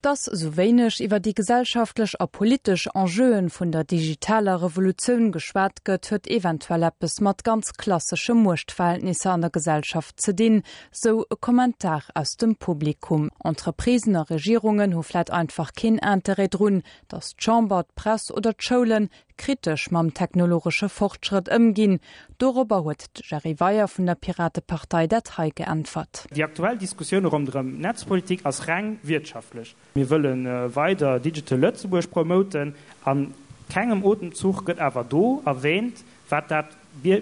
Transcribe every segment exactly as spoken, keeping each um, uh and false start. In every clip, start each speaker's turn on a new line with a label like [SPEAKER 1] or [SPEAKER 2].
[SPEAKER 1] Dass sou wéineg iwwer déi gesellschaftlech a politesch Enjeuen vun der digitaler Revolutioun geschwat gëtt, huet eventuell eppes mat ganz klassesche Muechtverhältnisser an der Gesellschaft ze dinn, sou e Kommentar aus dem Publikum. Entreprisen a Regierungen hu vläit einfach keen Interêt drun, dass d'Chamber, d'Press oder d'Schoulen kritesch mam technologesche Fortschrëtt ëmginn. Dorobber huet de Jerry Weyer vun der Piratepartei dat hei geäntwert.
[SPEAKER 2] Déi aktuell Diskussioun ronderëm Netzpolitik ass reng wirtschaftlech. Mir wëlle weider Digital Lëtzebuerg promoten. An kengem Otemzuch gëtt awer do erwähnt, wat dat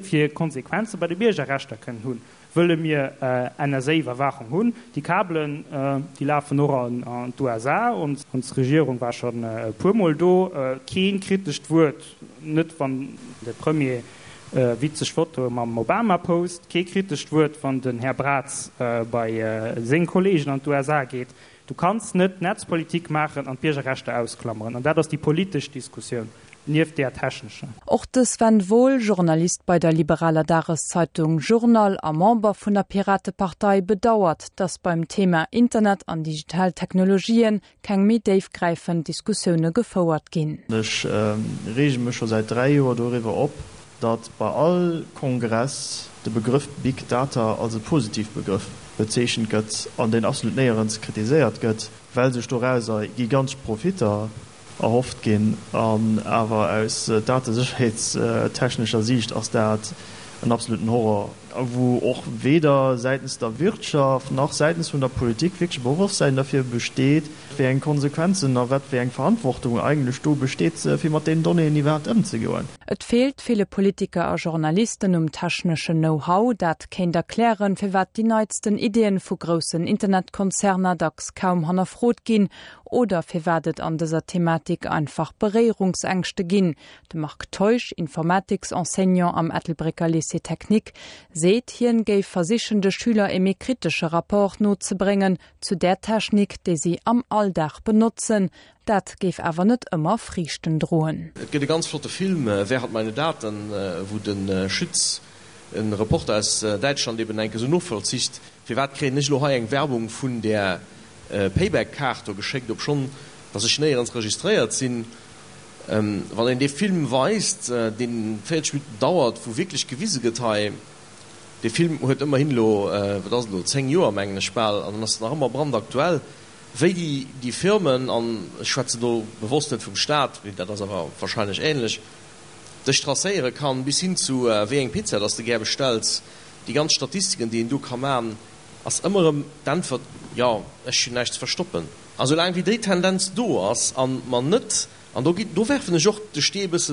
[SPEAKER 2] fir Konsequenze bei de Biergerrechter kënnen hunn. Wëlle mir N S A-Iwwerwaachung hunn? Déi Kabelen, déi lafen och an d'U S A und ons Regierung war schonn e puermol do. Kee kritescht Wuert, net wann de Premier witzeg Fotoe mam Obama post, kee kritescht Wuert, wann den Här Braz bei seng Kolleegen an d'U S A geet. Du kanns net Netzpolitik maachen an d'Biergerrechter ausklammeren. An dat ass déi politesch Diskussioun nieft där technescher.
[SPEAKER 1] Och de Sven Wohl, Journalist bei der liberaler Dageszeitung Journal a Member vun der Piratepartei, bedauert, dass beim Thema Internet an digital Technologien keng méi déifgräifend Diskussioune gefouert ginn.
[SPEAKER 3] Ech reege mech scho säit dräi Joer doriwwer op, datt bei all Kongress de Begrëff Big Data als e positive Begrëff bezeechent gëtt an deen absolut néierens kritiséiert gëtt, well sech dorauser gigantesch Profitter erhofft ginn. An awer aus datesécherheetstechnescher Siicht ass dat en absoluten Horror, wou och weder säitens der Wirtschaft nach säitens vun der Politik wierklech e Bewosstsäin derfir besteet, wéi eng Konsequenzen a wat fir eng Verantwortung eigentlech do besteet, fir mat deenen Donnéeën iwwerhaapt ëmzegoen.
[SPEAKER 1] Et feelt ville Politiker a Journalisten um techneschen Know-how, dat kéint erklären, firwat déi neitsten Iddien vu groussen Internetkonzerner dacks kaum hannerfrot ginn oder firwat et an dëser Thematik einfach Beréierungsängschte ginn. De Marc Teusch, Informatiksenseignant am Ettelbrécker Lycée Technique, seet, hien géif versichen, de Schüler e méi kritesche Rapport nozebréngen zu der Technik, déi si am Alldag benotzen. Dat géif awer net ëmmer Friichten droen.
[SPEAKER 4] Et gëtt e ganz flotte Film, Wer hat meine Daten, wou de Schütz, e Reporter aus Däitschland, eben enke sou novollzicht, firwat kréien ech elo hei eng Werbung vun där Payback-Kaart do geschéckt, obschonn datt ech néierens registréiert sinn. Wann een dee Film weist, dee véierzeg Minutten dauert, wou wierklech gewise gëtt hei, dee Film huet ëmmerhin elo, wat ass et elo, zéng Joer mengen ech bal, an en ass nach ëmmer brandaktuell, wéi déi, déi Firmen, an ech schwätzen do bewosst net vum Staat, mee dat ass awer wahrscheinlech ähnlech, dech tracéiere kann, bis hin zu wéi eng Pizza dass de gär bestells, déi ganz Statistiken, déi een do ka man, ass ëmmer erëm d'Äntwert, Jo, ech hunn näischt ze verstoppen. A soulaang wéi déi Tendenz do ass a mer net, an do ginn, do werfen ech och de Stee e bësse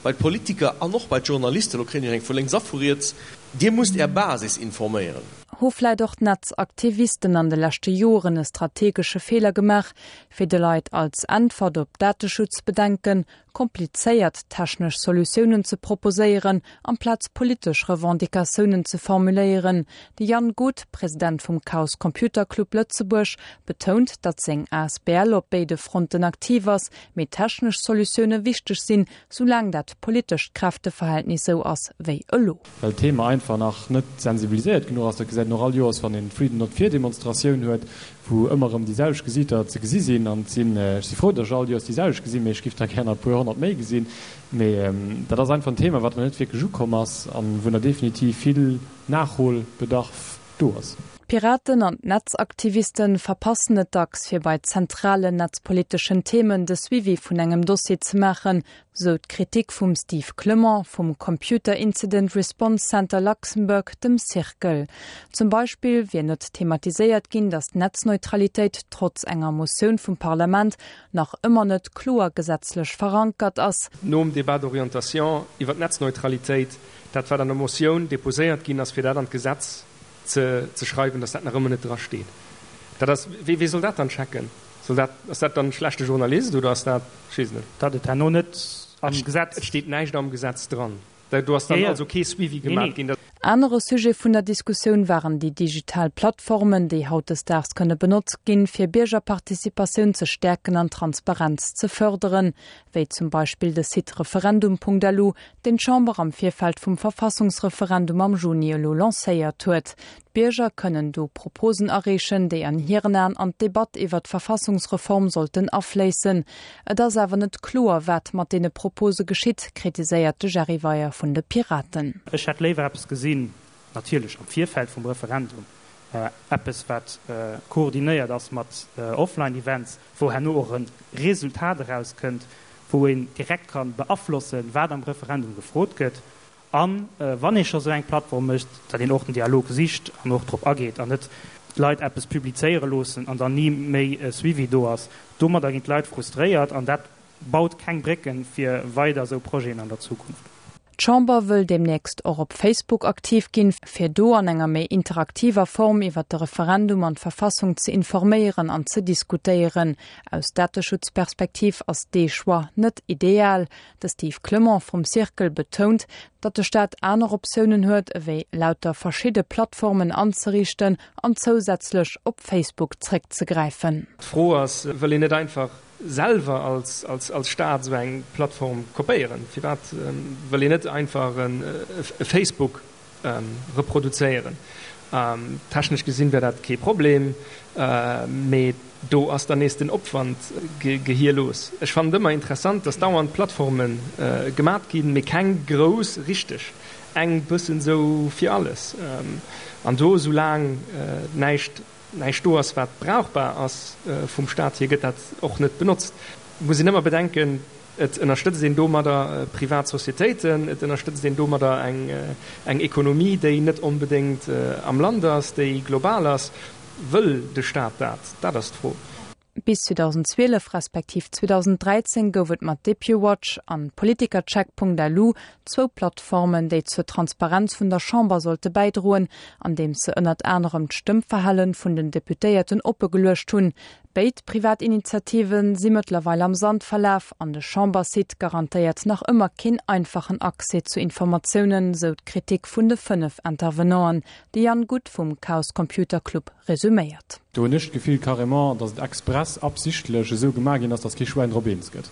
[SPEAKER 4] bei d'Politiker an och bei d'Journalisten, elo kréien ech eng vu lénks a vu riets, Dir musst Är Basis informéieren.
[SPEAKER 1] Hu vläit och d'Netzaktivisten an de leschte Joren e strategesche Feeler gemaach, fir de Leit als Äntwert op Dateschutzbedenken komplizéiert technesch Solutiounen ze proposéieren, amplaz politesch Revendicatiounen ze formuléieren? De Jan Guth, President vum Chaos Computer Club Lëtzebuerg, betount, datt seng A S B L op béide Fronten aktiv ass, mee technesch Solutioune wichteg sinn, soulaang dat politescht Kräfteverhältnis sou ass wéi elo.
[SPEAKER 5] Well d'Thema einfach nach net sensibiliséiert genuch ass. Dat gesäit een och all Joers, wann een d'Freedom Not Fear Demonstratioun huet, wou ëmmer erëm déi selwecht Gesiiter ze gesi sinn. An et sinn, ech si frou, datt ech all Joers déi selwecht gesinn, mee ech giff der gär nach e puer honnert méi gesinn. Mee dat ass einfach en Thema, wat nach net wierklech ukomm ass an wou nach definitiv vill Nachholbedarf do ass.
[SPEAKER 1] D'Piraten an d'Netzaktivisten verpassen et dacks, fir bei zentralen netzpoliteschen Themen de Suivi vun engem Dossier ze maachen, sou d'Kritik vum Steve Clement vum Computer Incident Response Center Luxembourg, dem CIRCL. Zum Beispill wier net thematiséiert ginn, datt d'Netzneutralitéit trotz enger Motioun vum Parlament nach ëmmer net kloer gesetzlech verankert ass.
[SPEAKER 6] Nom Débat d'orientation iwwer d'Netzneutralitéit, dat wat an der Motioun deposéiert ginn ass, fir dat an d'Gesetz ze ze schreiwen, dass dat nach ëmmer net dra steet. Dat ass, wee wee soll dat dann checken? Soll dat, ass dat dann e schlechte Journalist oder ass dat, ech weess net.
[SPEAKER 2] Datt et herno net am Gesetz.
[SPEAKER 6] Et steet näischt am Gesetz dran. Do ass dann also kee Suivi gemaach ginn.
[SPEAKER 1] Anere Sujet vun der Diskussioun waren déi digital Plattformen, déi hautdesdaags kënne benotzt ginn, fir Biergerparticipatioun ze stäerken an Transparenz ze fërderen, wéi zum Beispill de Site referendum Punkt lu, deen d'Chamber am Virfeld vum Verfassungsreferendum am Juni elo lancéiert huet. D'Bierger kënnen do Proposen areechen, déi an hiren Aen an d'Debatt iwwer d'Verfassungsreform sollten afléissen. Et ass awer net kloer, wat mat deene Propose geschitt, kritiséiert de Jerry Weyer vun de Piraten.
[SPEAKER 2] Ech hätt léiwer eppes gesinn, natierlech am Virfeld vum Referendum, eppes wat koordinéiert ass mat Offline-Events, wou herno och e Resultat erauskënnt, wou een direkt ka beaflossen, wat am Referendum gefrot gëtt. A wann ee scho sou eng Plattform mécht, datt een och den Dialog sicht an och drop ageet an net d'Leit eppes publizéiere loossen an dann ni méi e Suivi do ass. Domadder ginn d'Leit frustréiert an dat baut keng Brécken fir weider esou Projeten an der Zukunft.
[SPEAKER 1] D'Chamber wëll deemnächst och op Facebook aktiv ginn, fir do an enger méi interaktiver Form iwwer de Referendum an d'Verfassung ze informéieren an ze diskutéieren. Aus Dateschutzperspektiv ass dee Choix net ideal. De Steve Clement vum Cercle betount, datt de Staat aner Optiounen huet, ewéi lauter verschidde Plattformen anzeriichten an zousätzlech op Facebook zréckzegräifen.
[SPEAKER 6] D'Fro ass, wëll een net einfach selwer als, als, als Staat esou eng Plattform kopéieren? Firwat wëll een net einfach e Facebook reproduzéieren? Technesch gesinn wär dat kee Problem, mee do ass dann nees den Opwand gehierlos. Ech fannen et ëmmer interessant, dass dauernd Plattforme gemat ginn, mee keng grouss richteg, eng bëssen esou fir alles. An do, soulaang näischt näischt do ass, wat brauchbar ass vum Staat hier, gëtt dat och net benotzt. Et muss een ëmmer bedenken, et ënnerstëtzt een domadder privat Societéiten, et ënnerstëtzt een domadder eng eng Ekonomie, déi net onbedéngt am Land ass, déi global ass. Wëll de Staat dat? Dat ass d'Fro.
[SPEAKER 1] Bis zweedausendzwielef respektiv zweedausendräizéng gouf et mat Depuwatch an Politikercheck.lu zwou Plattformen, déi zur Transparenz vun der Chamber sollte bäidroen, andeems se ënnert anerem d'Stëmmverhalen vun den Deputéierten oppegeluecht hunn. Béid privat Initiative si mëttlerweil am Sand verlaf an de Chambersite garantéiert nach ëmmer keen einfachen Accès zu Informatiounen, sou d'Kritik vun de fënnef Intervenanten, de Jan Guth vum Chaos Computer Club resuméiert.
[SPEAKER 5] Do hunn ech d'Gefill carrément, datt et express, absichtlech esou gemaach ginn ass, datt kee Schwäin drop eens gëtt.